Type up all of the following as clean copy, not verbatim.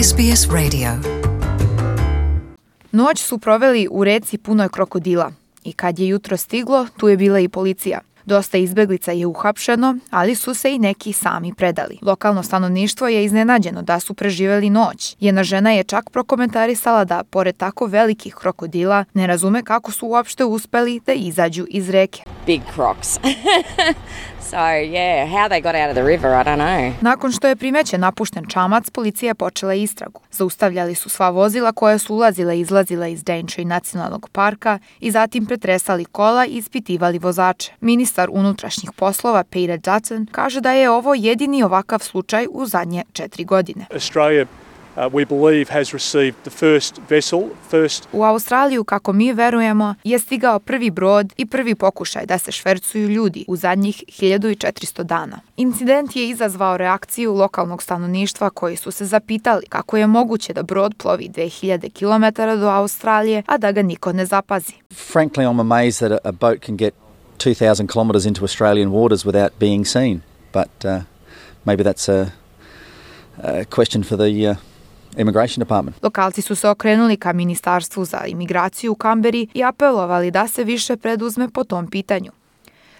SBS Radio. Noć su proveli u reci punoj krokodila i kad je jutro stiglo, tu je bila i policija. Dosta izbeglica je uhapšeno, ali su se i neki sami predali. Lokalno stanovništvo je iznenađeno da su preživjeli noć. Jedna žena je čak prokomentarisala da, pored tako velikih krokodila, ne razume kako su uopšte uspeli da izađu iz reke. Big crocs. So, yeah, how they got out of the river, I don't know. Nakon što je primećen napušten čamac, policija je počela istragu. Zaustavljali su sva vozila koja su ulazila i izlazila iz Daintree nacionalnog parka i zatim pretresali kola i ispitivali vozače. Ministar unutrašnjih poslova Peter Dutton kaže da je ovo jedini ovakav slučaj u zadnje 4 godine. Australia, we believe, has received the first vessel. U Australiju, kako mi verujemo, je stigao prvi brod i prvi pokušaj da se švercuju ljudi u zadnjih 1400 dana. Incident je izazvao reakciju lokalnog stanovništva koji su se zapitali kako je moguće da brod plovi 2000 km do Australije, a da ga niko ne zapazi. Frankly, I'm amazed that a boat can get 2,000 kilometres into Australian waters without being seen. But maybe that's a question for the Immigration Department. Lokalci su se okrenuli ka Ministarstvu za imigraciju u Kamberi i apelovali da se više preduzme po tom pitanju.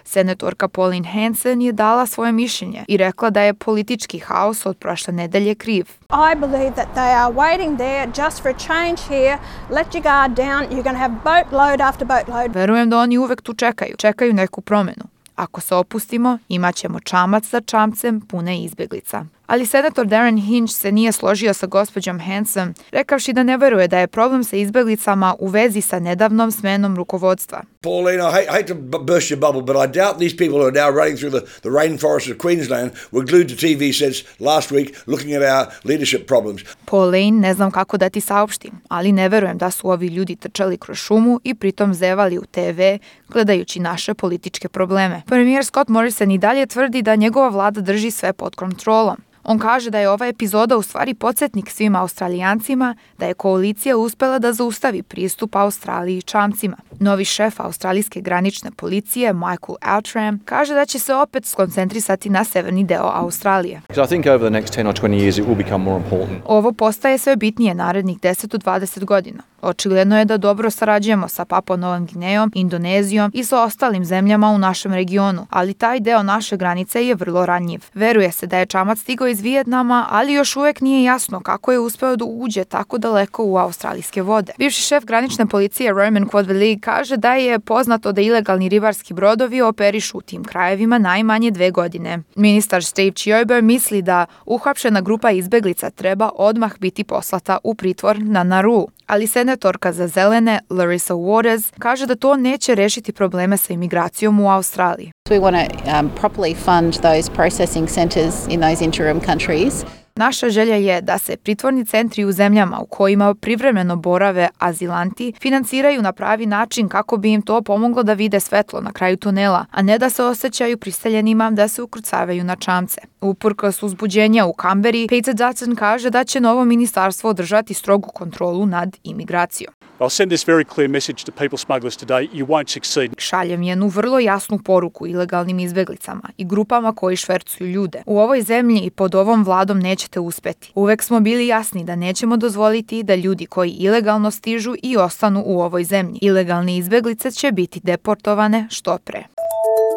Senatorka Pauline Hanson je dala svoje mišljenje i rekla da je politički haos od prošle nedelje kriv. I believe that they are waiting there just for a change here. Let your guard down. You're going to have boat load after boat load. Verujem da oni uvek tu čekaju neku promenu. Ako se opustimo, imat ćemo čamac za čamcem pune izbjeglica. Ali senator Darren Hinch se nije složio sa gospođom Hanson, rekavši da ne veruje da je problem sa izbjeglicama u vezi sa nedavnom smenom rukovodstva. Pauline, I hate to burst your bubble, but I doubt these people who are now running through the rainforest of Queensland were glued to TV sets last week looking at our leadership problems. Pauline, ne znam kako da ti saopštim, ali ne verujem da su ovi ljudi trčali kroz šumu i pritom zevali u TV gledajući naše političke probleme. Premijer Scott Morrison i dalje tvrdi da njegova vlada drži sve pod kontrolom. On kaže da je ova epizoda u stvari podsjetnik svim Australijancima da je koalicija uspela da zaustavi pristup Australiji čamcima. Novi šef australijske granične policije, Michael Outram, kaže da će se opet skoncentrisati na severni deo Australije. I think over the next 10 or 20 years it will become more important. Ovo postaje sve bitnije narednih 10 do 20 godina. Očigledno je da dobro sarađujemo sa Papua Novom Gvinejom, Indonezijom i sa ostalim zemljama u našem regionu, ali taj deo naše granice je vrlo ranjiv. Veruje se da je čamac stigao iz Vijetnama, ali još uvek nije jasno kako je uspeo da uđe tako daleko u australijske vode. Bivši šef granične policije Roman Quadvili kaže da je poznato da ilegalni ribarski brodovi operišu u tim krajevima najmanje 2 godine. Ministar Steve Chiober misli da uhapšena grupa izbeglica treba odmah biti poslata u pritvor na Nauru. Ali senatorka za zelene Larissa Waters kaže da to neće rešiti probleme sa imigracijom u Australiji. We want to properly fund those processing centres in those interim countries. Naša želja je da se pritvorni centri u zemljama u kojima privremeno borave azilanti financiraju na pravi način kako bi im to pomoglo da vide svetlo na kraju tunela, a ne da se osjećaju priseljenima da se ukrcavaju na čamce. Uprkos uzbuđenja u Kamberi, Peter Dutton kaže da će novo ministarstvo održati strogu kontrolu nad imigracijom. I'll send this very clear message to people smugglers today. You won't succeed. Šaljem jednu vrlo jasnu poruku ilegalnim izbjeglicama i grupama koji švercuju ljude. U ovoj zemlji i pod ovom vladom nećete uspeti. Uvek smo bili jasni da nećemo dozvoliti da ljudi koji ilegalno stižu i ostanu u ovoj zemlji. Ilegalne izbjeglice će biti deportovane što pre.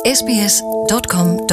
sbs.com.au